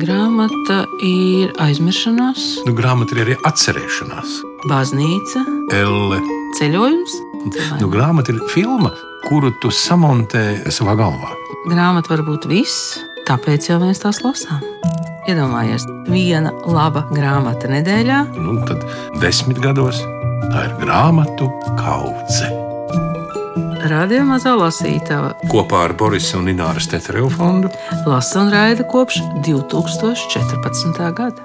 Grāmata ir aizmiršanās, Grāmata ir arī atcerēšanās. baznīca, Elle. ceļojums. Grāmata ir filma, kuru tu samontē savā galvā. Grāmata var būt viss, tāpēc jau mēs tās lasām. Iedomājies, viena laba grāmata nedēļā. Tad 10 gados tā ir grāmatu kaudze. Radio Mazā lasītava Kopā ar Borisa un Ināras Tetereva fondu lasa un raida kopš 2014. gada.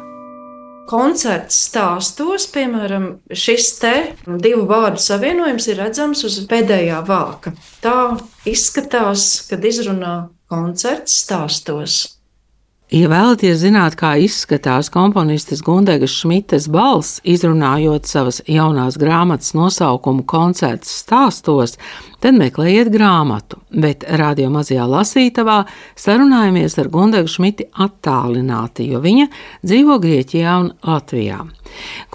Koncerts stāstos, piemēram, šis te divu vārdu savienojums ir redzams uz pēdējā vāka. Tā izskatās, kad izrunā koncerts stāstos. Ja vēlaties zināt, kā izskatās komponistes Gundegas Šmites balss, izrunājot savas jaunās grāmatas nosaukumu koncerts stāstos, tad meklējiet grāmatu, bet Radio Mazajā lasītavā sarunājamies ar Gundegu Šmiti attālināti, jo viņa dzīvo Grieķijā un Latvijā.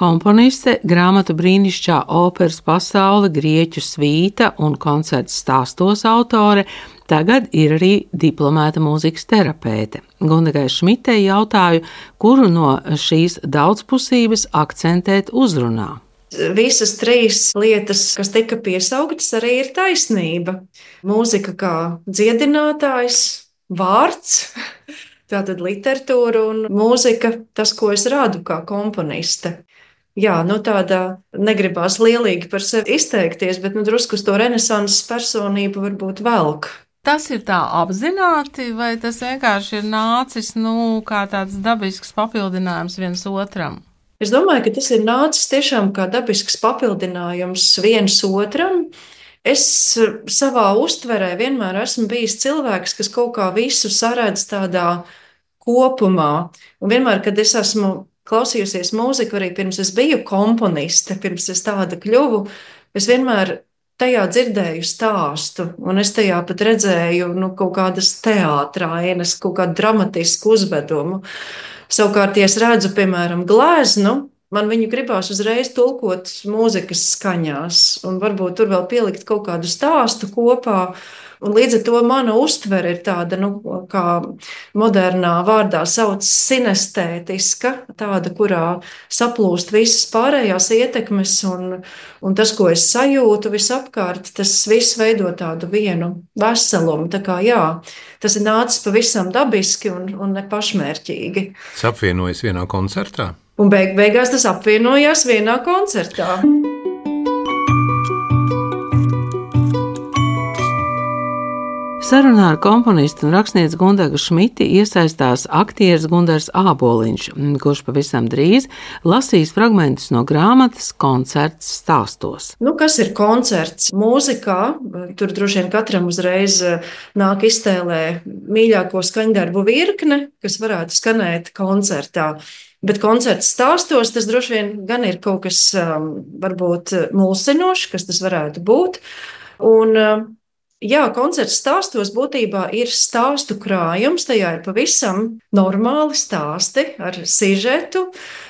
Komponiste, grāmatu brīnišķā operas pasaule, grieķu svīta un koncerts stāstos autore, tagad ir arī diplomēta mūzikas terapeite. Gundegai Šmitei jautāju, kuru no šīs daudzpusības akcentēt uzrunā. Visas trīs lietas, kas tika piesauktas, arī ir taisnība. Mūzika kā dziedinātājs, vārds, tātad literatūra un mūzika, tas, ko es radu kā komponiste. Jā, tāda negribās lielīgi par sevi izteikties, bet drusku uz to renesanses personību varbūt velk. Tas ir tā apzināti, vai tas vienkārši ir nācis kā tāds dabisks papildinājums viens otram? Es domāju, ka tas ir nācis tiešām kā dabisks papildinājums viens otram. Es savā uztverē vienmēr esmu bijis cilvēks, kas kaut kā visu saredz tādā kopumā. Un vienmēr, kad es esmu klausījusies mūziku, arī pirms es biju komponiste, pirms es tāda kļuvu, es vienmēr tajā dzirdēju stāstu, un es tajā pat redzēju kaut kādas teātrainas, kaut kādu dramatisku uzvedumu. Savukārt, ja es redzu, piemēram, gleznu, man viņu gribās uzreiz tulkot mūzikas skaņās, un varbūt tur vēl pielikt kaut kādu stāstu kopā. Un līdz ar to mana uztvere ir tāda, kā modernā vārdā sauc sinestētiska, tāda, kurā saplūst visas pārējās ietekmes un tas, ko es sajūtu visapkārt, tas viss veido tādu vienu veselumu. Tā kā jā, tas ir nācis pavisam dabiski un ne pašmērķīgi. Tas apvienojas vienā koncertā? Un beigās tas apvienojās vienā koncertā. Sarunā ar komponistu un rakstnieci Gundegu Šmiti iesaistās aktieris Gundars Āboliņš, kurš pavisam drīz lasīs fragmentus no grāmatas Koncerts stāstos. Kas ir koncerts? Mūzikā, tur droši vien katram uzreiz nāk iztēlē mīļāko skaņdarbu virkne, kas varētu skanēt koncertā. Bet koncerts stāstos, tas droši vien gan ir kaut kas varbūt mulsinošs, kas tas varētu būt. Un jā, koncerts stāstos būtībā ir stāstu krājums, tajā ir pavisam normāli stāsti ar sižetu,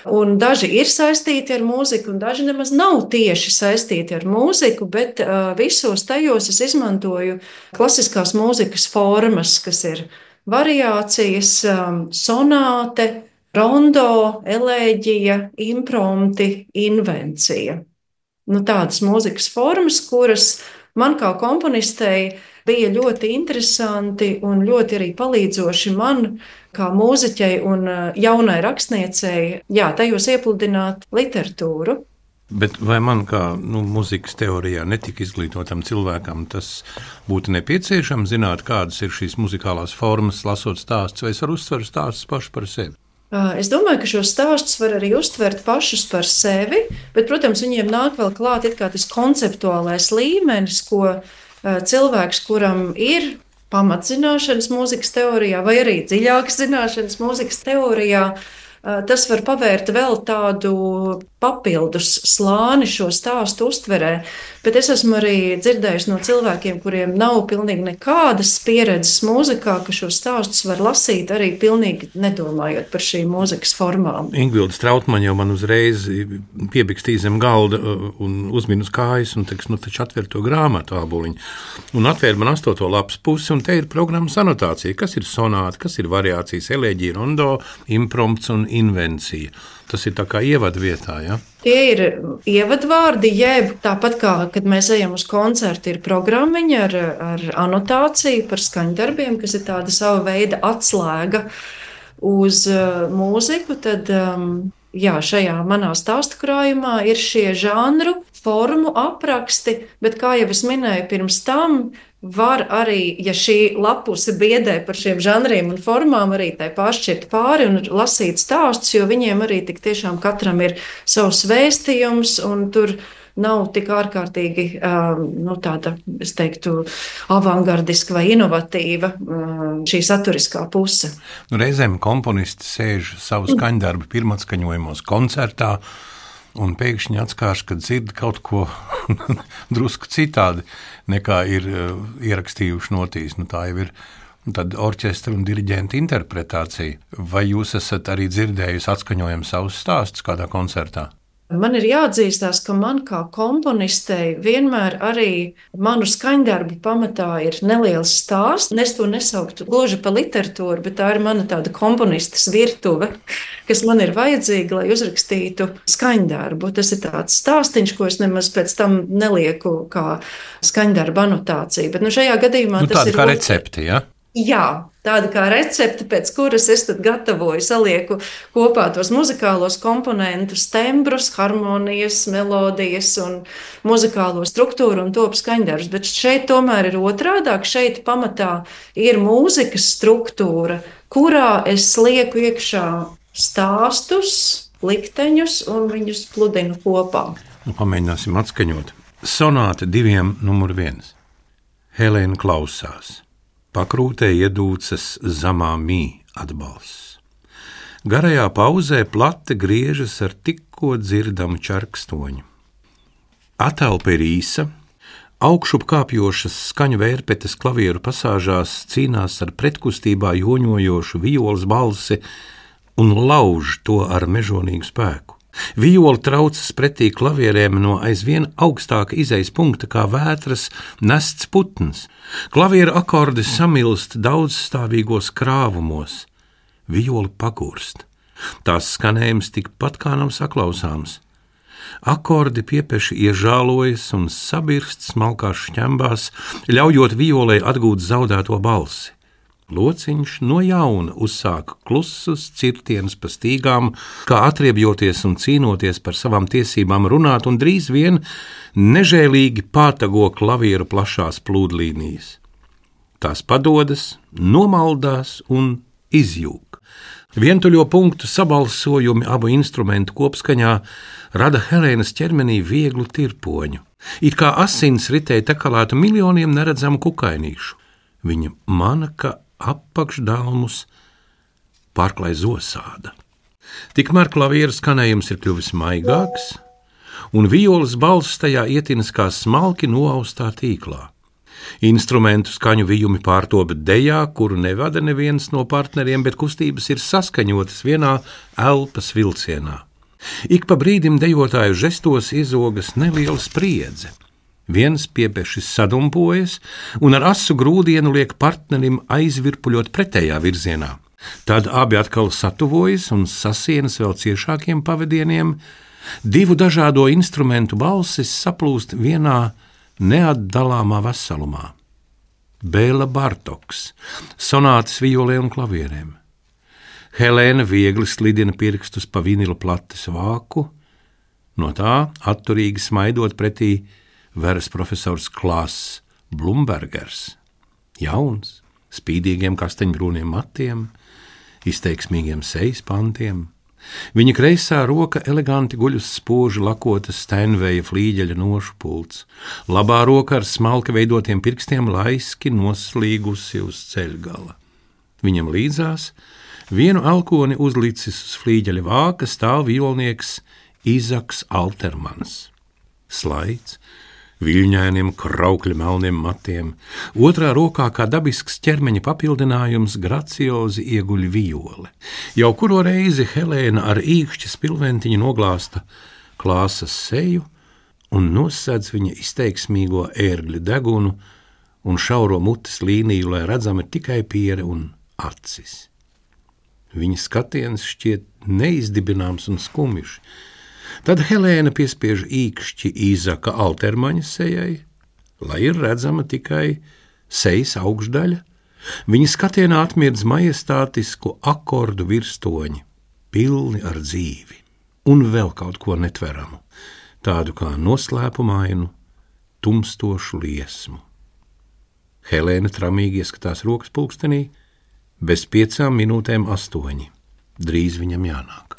un daži ir saistīti ar mūziku, un daži nemaz nav tieši saistīti ar mūziku, bet visos tajos es izmantoju klasiskās mūzikas formas, kas ir variācijas, sonāte, rondo, elēģija, imprompti, invencija. Tādas mūzikas formas, kuras man kā komponistei bija ļoti interesanti un ļoti arī palīdzoši man kā mūziķei un jaunai rakstniecei, tajos iepludināt literatūru. Bet vai man kā mūzikas teorijā netika izglītotam cilvēkam tas būtu nepieciešams zināt, kādas ir šīs muzikālās formas, lasot stāstus, vai es varu uztvert stāstus pašu par sevi? Es domāju, ka šos stāstus var arī uztvert pašus par sevi, bet, protams, viņiem nāk vēl klāt it kā tas konceptuālais līmenis, ko cilvēks, kuram ir pamatzināšanas mūzikas teorijā vai arī dziļākas zināšanas mūzikas teorijā, tas var pavērt vēl tādu papildus slāni šo stāstu uztverē. Bet es esmu arī dzirdējis no cilvēkiem, kuriem nav pilnīgi nekādas pieredzes mūzikā, ka šo stāstus var lasīt arī pilnīgi nedomājot par šīm mūzikas formām. Ingvilda Strautmaņa jau man uzreiz piebikstīja zem galda un uzmina uz kājas un teiks, taču atver to grāmatu āboliņu. Un atvēr man 8. lapas pusi, un te ir programmas anotācija, kas ir sonāta, kas ir variācijas, eleģija, rondo, imprompts un invencija. Tas ir tā kā ievadvietā, ja? Tie ir ievadvārdi, jeb tāpat kā, kad mēs ejam uz koncertu, ir programmiņa ar anotāciju par skaņdarbiem, kas ir tāda sava veida atslēga uz mūziku, tad šajā manā stāstu krājumā ir šie žanru, formu apraksti, bet kā jau es minēju pirms tam, var arī, ja šī lapuse biedē par šiem žanriem un formām, arī tai pāršķirt pāri un lasīt stāstus, jo viņiem arī tik tiešām katram ir savs vēstījums, un tur nav tik ārkārtīgi tāda, es teiktu, avangardiska vai inovatīva šī saturiskā puse. Reizēm komponisti sēž savu skaņdarbu pirmatskaņojumos koncertā, un pēkšņi atskārš, ka dzird kaut ko drusku citādi, nekā ir ierakstījuši notīs. Tā jau ir tad orķestra un diriģenta interpretācija. Vai jūs esat arī dzirdējusi atskaņojumu savus stāstus kādā koncertā? Man ir jāatzīstās, ka man kā komponistei vienmēr arī manu skaņdarbu pamatā ir neliels stāsts. Es to nesauktu gluži par literatūru, bet tā ir mana tāda komponistes virtuve, kas man ir vajadzīga, lai uzrakstītu skaņdarbu. Tas ir tāds stāstiņš, ko es nemaz pēc tam nelieku kā skaņdarba anotāciju. Bet šajā gadījumā tas ir... Tāda kā recepte, ja? Jā, tāda kā recepte, pēc kuras es tad gatavoju, salieku kopā tos muzikālos komponentus, tembrus, harmonijas, melodijas un muzikālo struktūru un top skaņdarbus. Bet šeit tomēr ir otrādāk, šeit pamatā ir mūzikas struktūra, kurā es lieku iekšā stāstus, likteņus un viņus pludinu kopā. Pamēģināsim atskaņot. Sonāte 2, numur 1. Helēna klausās. Pakrūtē iedūcas zamā mī atbalsts. Garajā pauzē plate griežas ar tikko dzirdamu čarkstoņu. Atelpa ir īsa, augšup kāpjošas skaņu vērpetes klavieru pasāžās cīnās ar pretkustībā joņojošu violas balsi un lauž to ar mežonīgu spēku. Viola traucas pretī klavierēm no aizvien augstāka izejas punkta kā vētras nests putns. Klavieru akordi samilst daudzstāvīgos krāvumos. Viola pagurst. Tās skanējums tikpat kā nav saklausāms. Akordi piepeši iežālojas un sabirst smalkās šķembās, ļaujot violai atgūt zaudēto balsi. Lociņš no jauna uzsāka klusus cirtienus pa stīgām, kā atriebjoties un cīnoties par savām tiesībām runāt, un drīz vien nežēlīgi pātago klavieru plašās plūdlīnijas. Tās padodas, nomaldās un izjūg. Vientuļo punktu sabalsojumi abu instrumentu kopskaņā rada Helēnas ķermenī vieglu tirpoņu, it kā asins ritēja tekalētu miljoniem neredzamu kukainīšu. Viņa manaka apakšdalmus pārklāj zosāda. Tikmēr klavieru skanējums ir kļuvis maigāks, un violas balss tajā ietinas kā smalki noaustā tīklā. Instrumentu skaņu vijumi pārtopa dejā, kuru nevada neviens no partneriem, bet kustības ir saskaņotas vienā elpas vilcienā. Ik pa brīdim dejotāju žestos iezogas neliela spriedze. Viens piepešis sadumpojas un ar asu grūdienu liek partnerim aizvirpuļot pretējā virzienā. Tad abi atkal satuvojas un sasienas vēl ciešākiem pavadieniem. Divu dažādo instrumentu balsis saplūst vienā neatdalāmā veselumā. Bēla Bartoks, sonātes violē un klavierēm. Helēna viegli slidina pirkstus pa vinila plates vāku, no tā atturīgi smaidot pretī veras profesors Klāss Blumbergers. Jauns, spīdīgiem kastaņbrūniem matiem, izteiksmīgiem sejas pantiem. Viņa kreisā roka eleganti guļ uz spoži lakotas Steinveja flīģeļa nošu pults. Labā roka ar smalki veidotiem pirkstiem laiski noslīgusi uz ceļgala. Viņam līdzās Vienu elkoni uzlicis uz flīģeļa vāka stāv violnieks Izaks Altermans. Slaids, viļņainiem kraukļa melniem matiem, otrā rokā kā dabisks ķermeņa papildinājums graciozi ieguļ viole. Jau kuro reizi Helēna ar īkšķa spilventiņu noglāsta Klāsas seju un nosēdz viņa izteiksmīgo ērgļa degunu un šauro mutes līniju, lai redzami tikai piere un acis. Viņa skatiens šķiet neizdibināms un skumjš. Tad Helēna piespiež īkšķi Izaka Altermaņa sejai, lai ir redzama tikai sejas augšdaļa. Viņa skatienā atmirdz majestātisku akordu virstoņi, pilni ar dzīvi, un vēl kaut ko netveramu, tādu kā noslēpumainu, tumstošu liesmu. Helēna tramīgi ieskatās rokas pulkstenī, bez 5 minūtēm 8. Drīz viņam jānāk.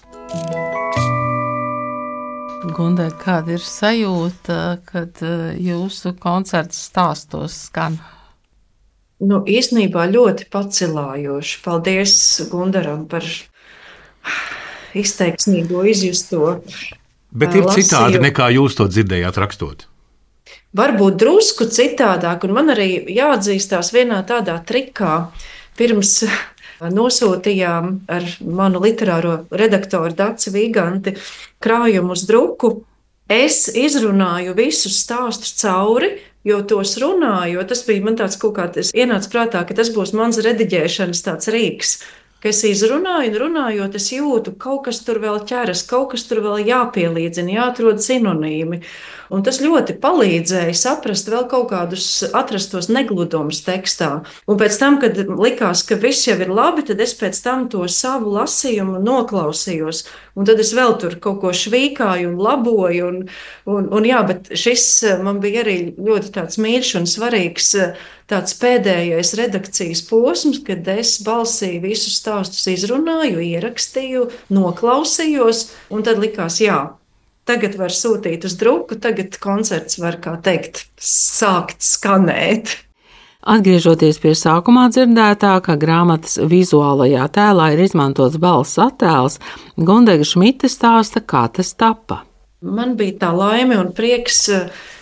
Gundai, kāda ir sajūta, kad jūsu koncerts stāstos skan? Īstenībā ļoti pacilājoši. Paldies Gundaram par izteiksmīgo izjusto. Bet ir citādi nekā jūs to dzirdējāt rakstot? Varbūt drusku citādāk, un man arī jāatzīstās vienā tādā trikā. Pirms nosūtījām ar manu literāro redaktoru Daci Vīganti krājumu uz druku. Es izrunāju visus stāstus cauri, jo tos runāju, tas bija man tāds kaut kāds, ienāca prātā, ka tas būs mans rediģēšanas tāds rīks, ka es izrunāju un runājot, es jūtu, kaut kas tur vēl ķeras, kaut kas tur vēl jāpielīdzina, jāatrod sinonīmi. Un tas ļoti palīdzēja saprast vēl kaut kādus atrastos negludumus tekstā. Un pēc tam, kad likās, ka viss jau ir labi, tad es pēc tam to savu lasījumu noklausījos. Un tad es vēl tur kaut ko švīkāju un laboju. Un jā, bet šis man bija arī ļoti tāds mīļš un svarīgs tāds pēdējais redakcijas posms, kad es balsī visus stāstus izrunāju, ierakstīju, noklausījos, un tad likās, jā, tagad var sūtīt uz druku, tagad koncerts var, kā teikt, sākt skanēt. Atgriežoties pie sākumā dzirdētā, ka grāmatas vizuālajā tēlā ir izmantots balss attēls, Gundega Šmite stāsta, kā tas tapa. Man bija tā laime un prieks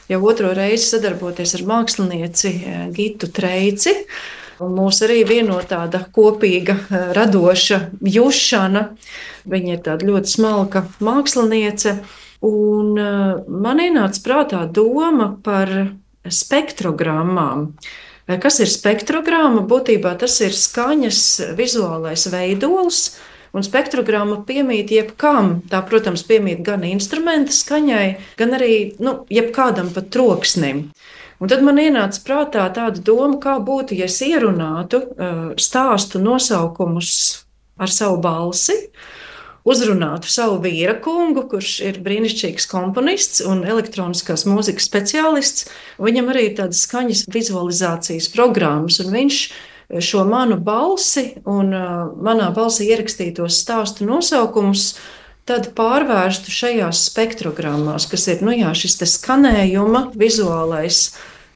jau otro reizi sadarboties ar mākslinieci Gitu Treici. Un mūs arī vieno tāda kopīga, radoša jušana. Viņa ir tāda ļoti smalka māksliniece. Un man ienāca prātā doma par spektrogrammām. Kas ir spektrogramma? Būtībā tas ir skaņas vizuālais veidols, un spektrogramma piemīt jebkam. Tā, protams, piemīt gan instrumenta skaņai, gan arī jebkādam pat troksnim. Un tad man ienāca prātā tāda doma, kā būtu, ja es ierunātu stāstu nosaukumus ar savu balsi, uzrunātu savu vīra kungu, kurš ir brīnišķīgs komponists un elektroniskās mūzikas speciālists. Viņam arī ir tādas skaņas vizualizācijas programmas, un viņš šo manu balsi un manā balsī ierakstītos stāstu nosaukumus tad pārvērstu šajās spektrogrammās, kas ir šis te skanējuma vizuālais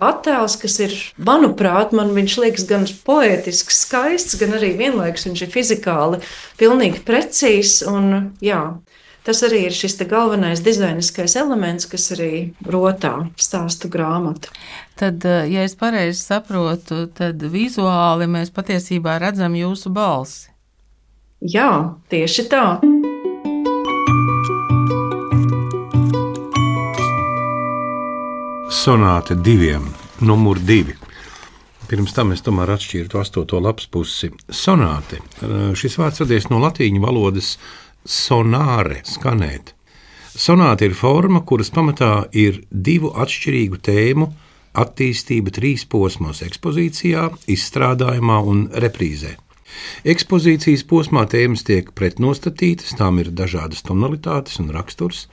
attēls, kas ir, manuprāt, man viņš liekas gan poētisks, skaists, gan arī vienlaikus viņš ir fizikāli pilnīgi precīzs. Un, jā, tas arī ir šis te galvenais dizainiskais elements, kas arī rotā stāstu grāmatu. Tad, ja es pareizi saprotu, tad vizuāli mēs patiesībā redzam jūsu balsi. Jā, tieši tā. Sonāte 2, numur 2. Pirms tam es tomēr atšķirtu 8. lapas pusi. Sonāte. Šis vārds radies no latīņu valodas sonāre, skanēt. Sonāte ir forma, kuras pamatā ir 2 atšķirīgu tēmu attīstība 3 posmos – ekspozīcijā, izstrādājumā un reprīzē. Ekspozīcijas posmā tēmas tiek pretnostatītas, tām ir dažādas tonalitātes un raksturs.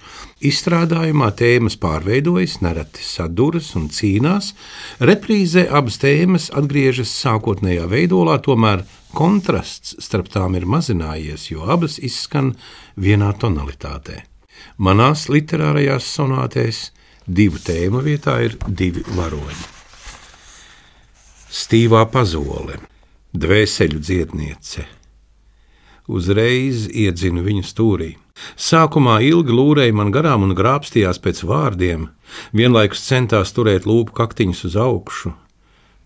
Izstrādājumā tēmas pārveidojas, nereti saduras un cīnās. Reprīzē abas tēmas atgriežas sākotnējā veidolā, tomēr kontrasts starp tām ir mazinājies, jo abas izskan vienā tonalitātē. Manās literārajās sonātēs 2 tēmu vietā ir 2 varoņi. Stīvā pazole. Dvēseļu dziedniece, Uzreiz iedzinu viņu stūrī. Sākumā ilgi lūrēja man garām un grābstījās pēc vārdiem, vienlaikus centās turēt lūpu kaktiņus uz augšu,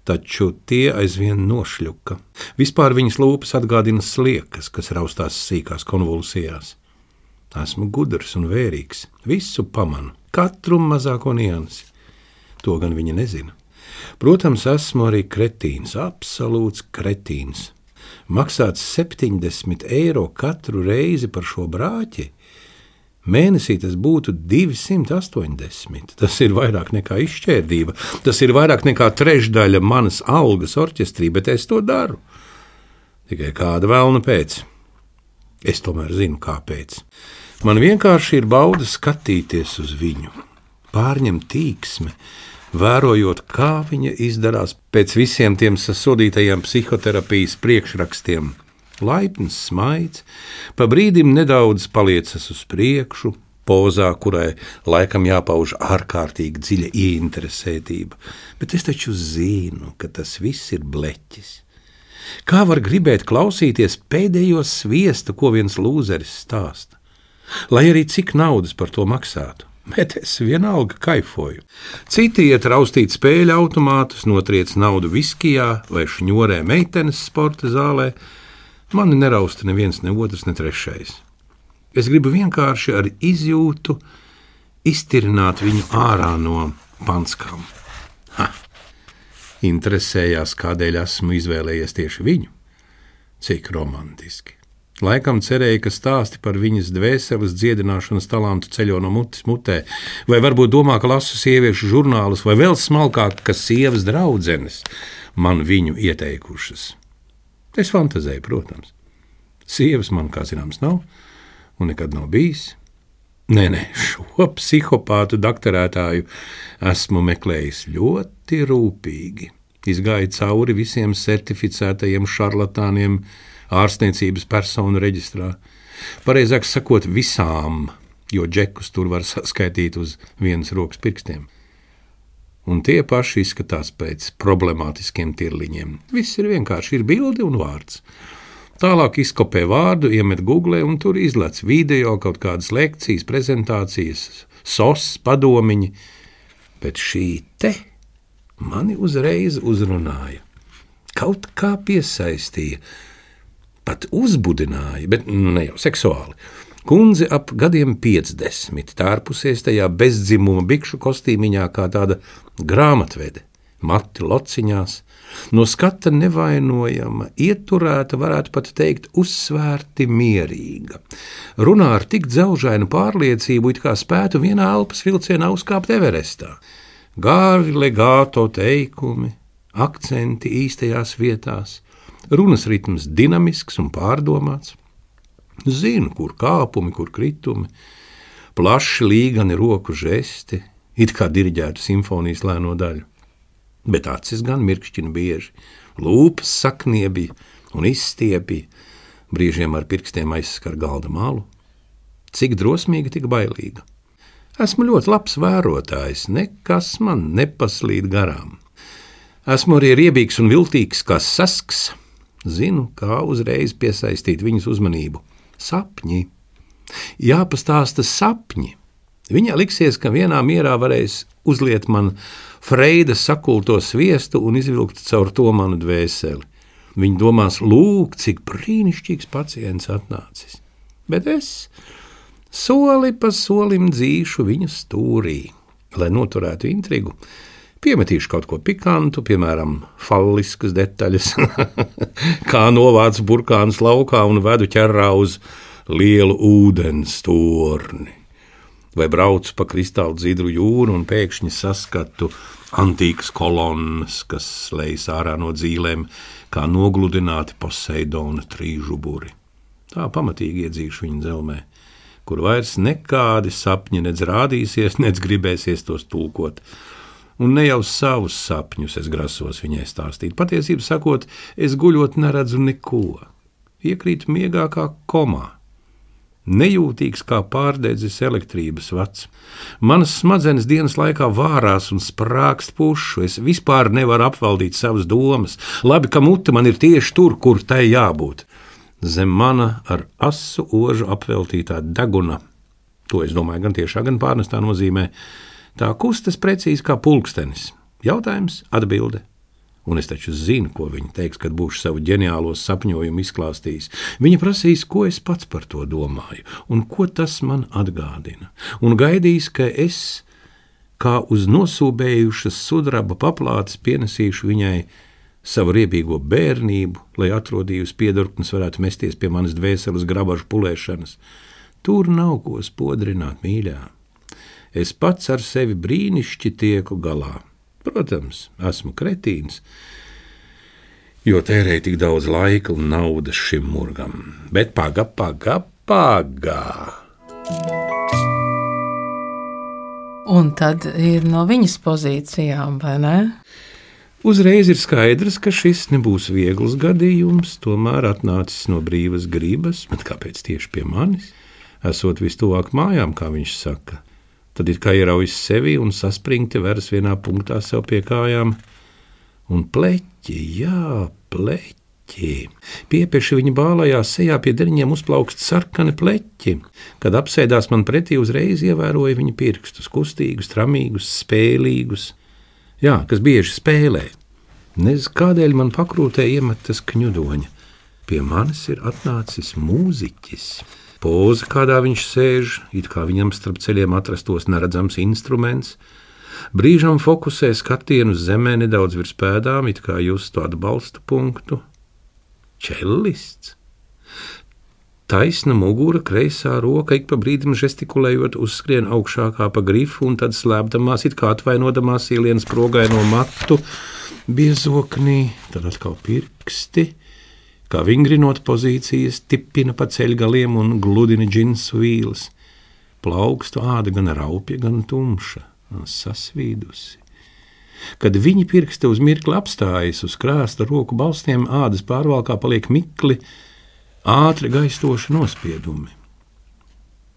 taču tie aizvien nošļuka. Vispār viņas lūpas atgādina sliekas, kas raustās sīkās konvulsijās. Esmu gudrs un vērīgs, visu pamanu, katru mazāko niansi. To gan viņa nezina. Protams, esmu arī kretīns, absolūts kretīns. Maksāts 70 eiro katru reizi par šo brāķi. Mēnesī tas būtu 280. Tas ir vairāk nekā izšķērdība. Tas ir vairāk nekā trešdaļa manas algas orķestrī, bet es to daru. Tikai kāda velna pēc. Es tomēr zinu, kāpēc. Man vienkārši ir bauda skatīties uz viņu, pārņem tīksme, vērojot, kā viņa izdarās pēc visiem tiem sasodītajiem psihoterapijas priekšrakstiem. Laipns smaids, pa brīdim nedaudz paliecas uz priekšu, pozā, kurai laikam jāpauž ārkārtīgi dziļa ieinteresētība. Bet es taču zinu, ka tas viss ir bleķis. Kā var gribēt klausīties pēdējo sviestu, ko viens lūzeris stāsta? Lai arī cik naudas par to maksātu. Bet es vienalga kaifoju. Citi iet raustīt spēļu automātus, notriec naudu viskijā vai šņorē meitenes sporta zālē. Mani nerausta neviens, ne otrs, ne trešais. Es gribu vienkārši ar izjūtu iztirināt viņu ārā no panskām. Interesējās, kādēļ esmu izvēlējies tieši viņu. Cik romantiski. Laikam cerēja, ka stāsti par viņas dvēseles dziedināšanas talantu ceļo no mutes mutē, vai varbūt domā, ka lasu sieviešu žurnālus, vai vēl smalkāk, ka sievas draudzenes man viņu ieteikušas. Es fantazēju, protams. Sievas man, kā zināms, nav, un nekad nav bijis. Nē, šo psihopātu daktarētāju esmu meklējis ļoti rūpīgi. Izgāju cauri visiem certificētajiem šarlatāniem, ārstniecības personu reģistrā. Pareizāk sakot, visām, jo džekus tur var saskaitīt uz vienas rokas pirkstiem. Un tie paši izskatās pēc problemātiskiem tirliņiem. Viss ir vienkārši, ir bilde un vārds. Tālāk izkopē vārdu, iemet Google un tur izlec video, kaut kādas lekcijas, prezentācijas, sos, padomiņi. Bet šī te mani uzreiz uzrunāja. Kaut kā piesaistīja. Pat uzbudināja, bet ne jau seksuāli. Kundze ap gadiem 50, tārpusies tajā bezdzimuma bikšu kostīmiņā kā tāda grāmatvede, mati lociņās, no skata nevainojama, ieturēta, varētu pat teikt, uzsvērti mierīga. Runā ar tik dzelžainu pārliecību, it kā spētu vienā elpas vilcienā uzkāpt Everestā. Gāri legāto teikumi, akcenti īstajās vietās, runas ritms dinamisks un pārdomāts. Zinu, kur kāpumi, kur kritumi, plaši līgani roku žesti, it kā diriģētu simfonijas lēno daļu. Bet acis gan mirkšķina bieži, lūpas sakniebja un izstiepja, brīžiem ar pirkstiem aizskar galda malu. Cik drosmīga, tik bailīga. Esmu ļoti labs vērotājs, nekas man nepaslīd garām. Esmu arī riebīgs un viltīgs kā sasks. Zinu, kā uzreiz piesaistīt viņas uzmanību. Sapņi. Jāpastāsta sapņi. Viņai liksies, ka vienā mierā varēs uzliet man Freida sakulto sviestu un izvilkt caur to manu dvēseli. Viņa domās, lūk, cik brīnišķīgs pacients atnācis. Bet es soli pa solim dzīšu viņa stūrī, lai noturētu intrigu. Piemetīšu kaut ko pikantu, piemēram, falliskas detaļas, kā novāc burkānus laukā un vedu ķerrā uz lielu ūdens torni. Vai braucu pa kristāli dzidru jūru un pēkšņi saskatu antīkas kolonnas, kas lejas ārā no dzīlēm, kā nogludināti Poseidona trīžuburi. Tā pamatīgi iedzīšu viņa dzelmē, kur vairs nekādi sapņi nedz rādīsies, nedz gribēsies tos tulkot. Un ne jau savus sapņus es grasos viņai stāstīt. Patiesību sakot, es guļot neredzu neko. Iekrītu miegā kā komā. Nejūtīgs kā pārdedzis elektrības vats. Manas smadzenes dienas laikā vārās un sprākst pušu. Es vispār nevaru apvaldīt savas domas. Labi, ka mute man ir tieši tur, kur tai jābūt. zem mana ar asu ožu apveltītā deguna. To es domāju gan tiešā, gan pārnestā nozīmē. Tā kustas precīzi kā pulkstenis. Jautājums, atbilde. Un es taču zinu, ko viņa teiks, kad būšu savu ģeniālo sapņojumu izklāstījis. Viņa prasīs, ko es pats par to domāju, un ko tas man atgādina. Un gaidīs, ka es, kā uz nosūbējušas sudraba paplātes, pienesīšu viņai savu riebīgo bērnību, lai atrodījus piedurknes varētu mesties pie manas dvēseles grabažu pulēšanas. Tur nav ko spodrināt, mīļā. Es pats ar sevi brīnišķi tieku galā. Protams, esmu kretīns, jo tērēju tik daudz laika un naudas šim murgam. Bet paga. Un tad ir no viņas pozīcijām, vai ne? Uzreiz ir skaidrs, ka šis nebūs viegls gadījums, tomēr atnācis no brīvas gribas, bet kāpēc tieši pie manis? Esot vistuvāk mājām, kā viņš saka. Tad ir kā ieraujas sevi un saspringti veras vienā punktā sev pie kājām. Un pleķi, jā, pleķi. Piepeši viņa bālajā sejā pie deriņiem uzplaukst sarkani pleķi. Kad apsēdās man pretī, uzreiz ievēroja viņa pirkstus, kustīgus, tramīgus, spēlīgus. Jā, kas bieži spēlē. Nezinu, kādēļ man pakrūtē iemetas kņudoņa. Pie manis ir atnācis mūziķis. Poza, kādā viņš sēž, it kā viņam starp ceļiem atrastos neredzams instruments. Brīžam fokusē skatienu uz zemē nedaudz virs pēdām, it kā justu atbalsta punktu. Čellists. Taisna mugura, kreisā roka, ik pa brīdim žestikulējot, uzskrien augšā kā pa grifu un tad slēpdamās, it kā atvainodamās ielienas progaino matu, biezoknī, tad atkal pirksti. Kā vingrinot pozīcijas, tipina pa ceļgaliem un gludina džinsu vīles. Plaukstu āda gan raupja, gan tumša, sasvīdusi. Kad viņi pirksti uz mirkli apstājas uz krāsta roku balstiem, ādas pārvalkā paliek mikli, ātri gaistoši nospiedumi.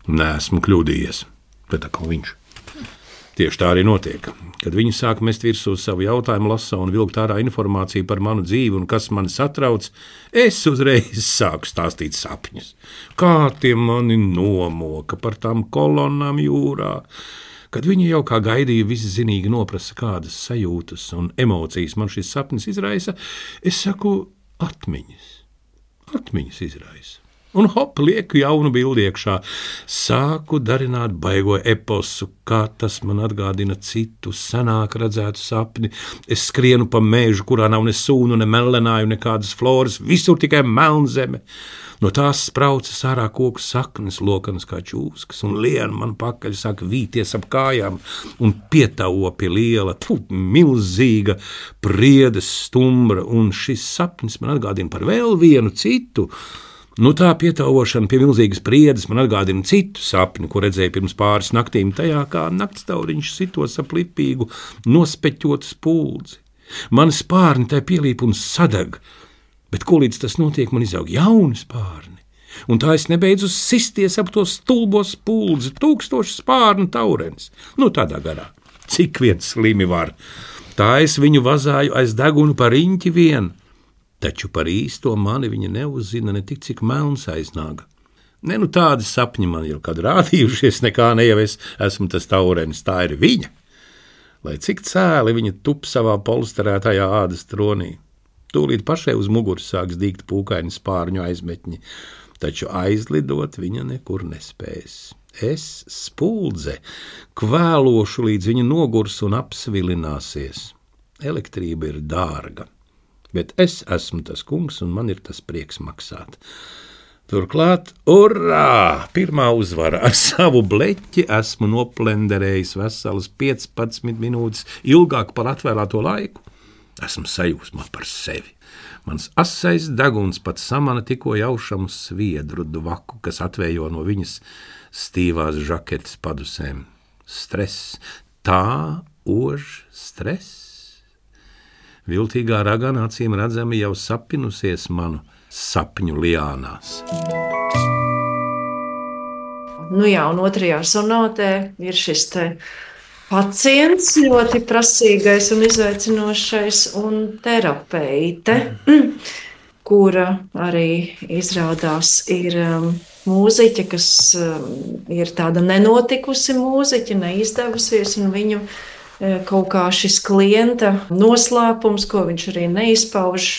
Neesmu kļūdījies, bet atkal viņš. Tieši tā arī notiek. Kad viņi sāk mest virsū savu jautājumu lasa un vilkt ārā informāciju par manu dzīvi un kas mani satrauc, es uzreiz sāku stāstīt sapņus. Kā tie mani nomoka par tām kolonnām jūrā. Kad viņi jau kā gaidīja viszinīgi noprasa, kādas sajūtas un emocijas man šis sapnis izraisa, es saku atmiņas. Atmiņas izraisa. Un hop, lieku jaunu bildi iekšā. Sāku darināt baigo eposu, kā tas man atgādina citu senāk redzētu sapni. Es skrienu pa mēžu, kurā nav ne sūnu, ne melenāju, nekādas floras, visur tikai melnzeme. No tās spraucas ārā koku saknes, lokanas kā čūskas, un liena man pakaļ sāk vīties ap kājām un pietauo pie liela, milzīga priedes stumbra, un šis sapnis man atgādina par vēl vienu citu. Nu tā pietauošana pie milzīgas priedes man atgādina citu sapni, ko redzēju pirms pāris naktīm, tajā kā naktstauriņš sitos ap lipīgu, nospeķotu spuldzi. Mani spārni tai pielīp un sadeg, bet ko līdz tas notiek, man izaug jauni spārni. Un tā es nebeidzu sisties ap to stulbo spuldzi, 1000 spārnu taurenis. Nu tādā garā, cik viens slimi var. Tā es viņu vazāju aiz degunu par riņķi vien. Taču par īsto mani viņa neuzzina ne tik, cik melns aiznāga. Ne, nu tādi sapņi man jau kad rādījušies, nekā ne jau es esmu tas taurenis, tā ir viņa. Lai cik cēli viņa tup savā polsterētajā ādas tronī. Tūlīt pašai uz muguras sāks dīgt pūkaini spārņu aizmetņi, taču aizlidot viņa nekur nespēs. Es, spuldze, kvēlošu līdz viņa nogurs un apsvilināsies. Elektrība ir dārga. Bet es esmu tas kungs, un man ir tas prieks maksāt. Turklāt, urā! Pirmā uzvara ar savu bleķi esmu noplenderējis veselas 15 minūtes ilgāk par atvēlēto laiku. Esmu sajūsmā par sevi. Mans asais deguns pat samana tikko jaušamu sviedru dvaku, kas atvējo no viņas stīvās žaketes padusēm. Stress, tā ož stress. Viltīgā ragana acīm redzami jau sapinusies manu sapņu liānās. Nu jā, un otrajā sonātē ir šis te pacients, ļoti prasīgais un izaicinošais, un terapeite. kura arī izrādās ir mūziķe, kas ir tāda nenotikusi mūziķe, neizdevusies, un viņu kaut kā šis klienta noslēpums, ko viņš arī neizpauž,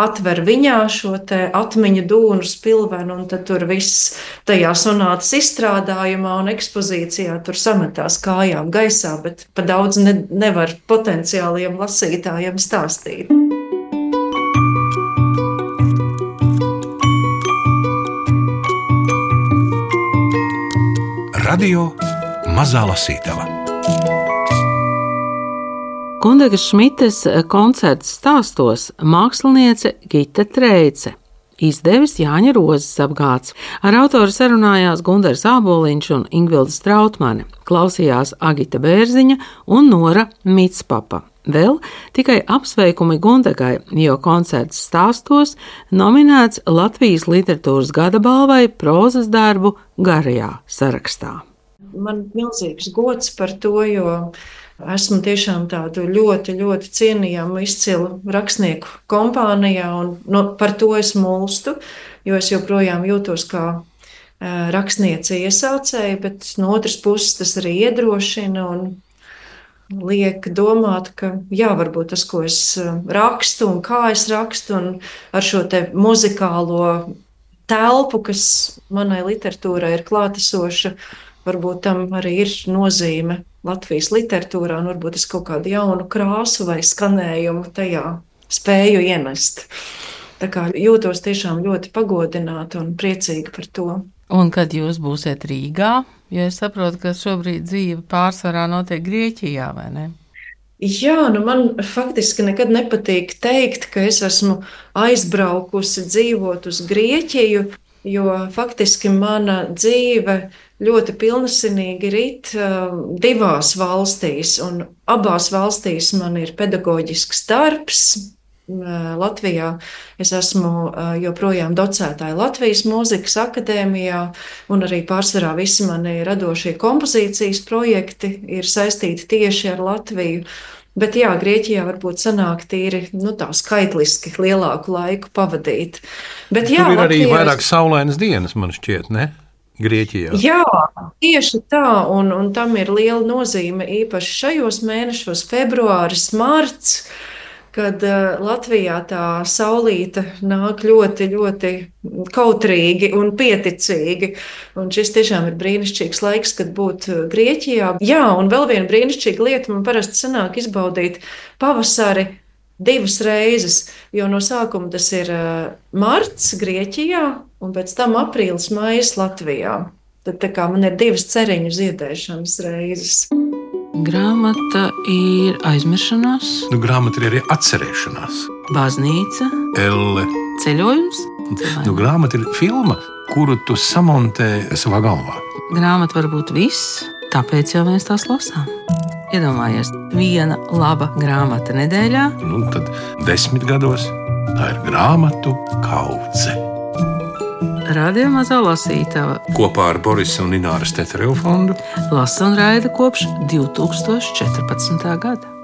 atver viņā šo atmiņu dūnu spilvenu, un tad tur viss tajā sonātas izstrādājumā un ekspozīcijā tur sametās kājām gaisā, bet pa daudz nevar potenciāliem lasītājiem stāstīt. Radio Mazā Lasītava. Gundegas Šmites koncerts stāstos māksliniece Gita Treice, izdevis Jāņa Rozes apgāds. Ar autoru sarunājās Gundars Āboliņš un Ingvilda Strautmane, klausījās Agita Bērziņa un Nora Mitspapa. Vēl tikai apsveikumi Gundegai, jo koncerts stāstos nominēts Latvijas literatūras gada balvai prozas darbu garajā sarakstā. Man milzīgs gods par to, jo esmu tiešām tādu ļoti, ļoti cienījamu, izcilu rakstnieku kompānijā, un par to es mulstu, jo es joprojām jūtos kā rakstniece iesācēja, bet no otras puses tas arī iedrošina un liek domāt, ka jā, varbūt tas, ko es rakstu un kā es rakstu, un ar šo te muzikālo telpu, kas manai literatūrai ir klātesoša, varbūt tam arī ir nozīme Latvijas literatūrā, un varbūt es kaut kādu jaunu krāsu vai skanējumu tajā spēju ienest. Tā kā jūtos tiešām ļoti pagodināta un priecīga par to. Un kad jūs būsiet Rīgā, jo es saprotu, ka šobrīd dzīve pārsvarā notiek Grieķijā, vai ne? Jā, man faktiski nekad nepatīk teikt, ka es esmu aizbraukusi dzīvot uz Grieķiju, jo faktiski mana dzīve ļoti pilnasinīgi rit divās valstīs, un abās valstīs man ir pedagoģisks darbs. Latvijā es esmu joprojām docētāja Latvijas Mūzikas akadēmijā, un arī pārsvarā visi mani radošie kompozīcijas projekti ir saistīti tieši ar Latviju. Bet jā, Grieķijā varbūt sanāk tīri tā skaitliski lielāku laiku pavadīt. Bet, jā, tur ir arī Latvijā vairāk saulainas dienas, man šķiet, ne? Grieķijā. Jā, tieši tā, un tam ir liela nozīme īpaši šajos mēnešos, februāris, marts, kad Latvijā tā saulīte nāk ļoti, ļoti kautrīgi un pieticīgi. Un šis tiešām ir brīnišķīgs laiks, kad būt Grieķijā. Jā, un vēl viena brīnišķīga lieta, man parasti sanāk izbaudīt pavasari 2 reizes, jo no sākuma tas ir marts Grieķijā, un pēc tam aprīlis, maijs Latvijā. Tad tā kā man ir 2 ceriņu ziedēšanas reizes. Grāmata ir aizmiršanās, Grāmata ir arī atcerēšanās. baznīca, Elle. ceļojums. Grāmata ir filma, kuru tu samontē savā galvā. Grāmata var būt viss, tāpēc jau mēs tās lasām. Iedomājies, viena laba grāmata nedēļā. Tad 10 gados tā ir grāmatu kaudze. Radio Mazā Lasītava Kopā ar Borisa un Ināras Tetereva fondu lasa un raida kopš 2014. gada.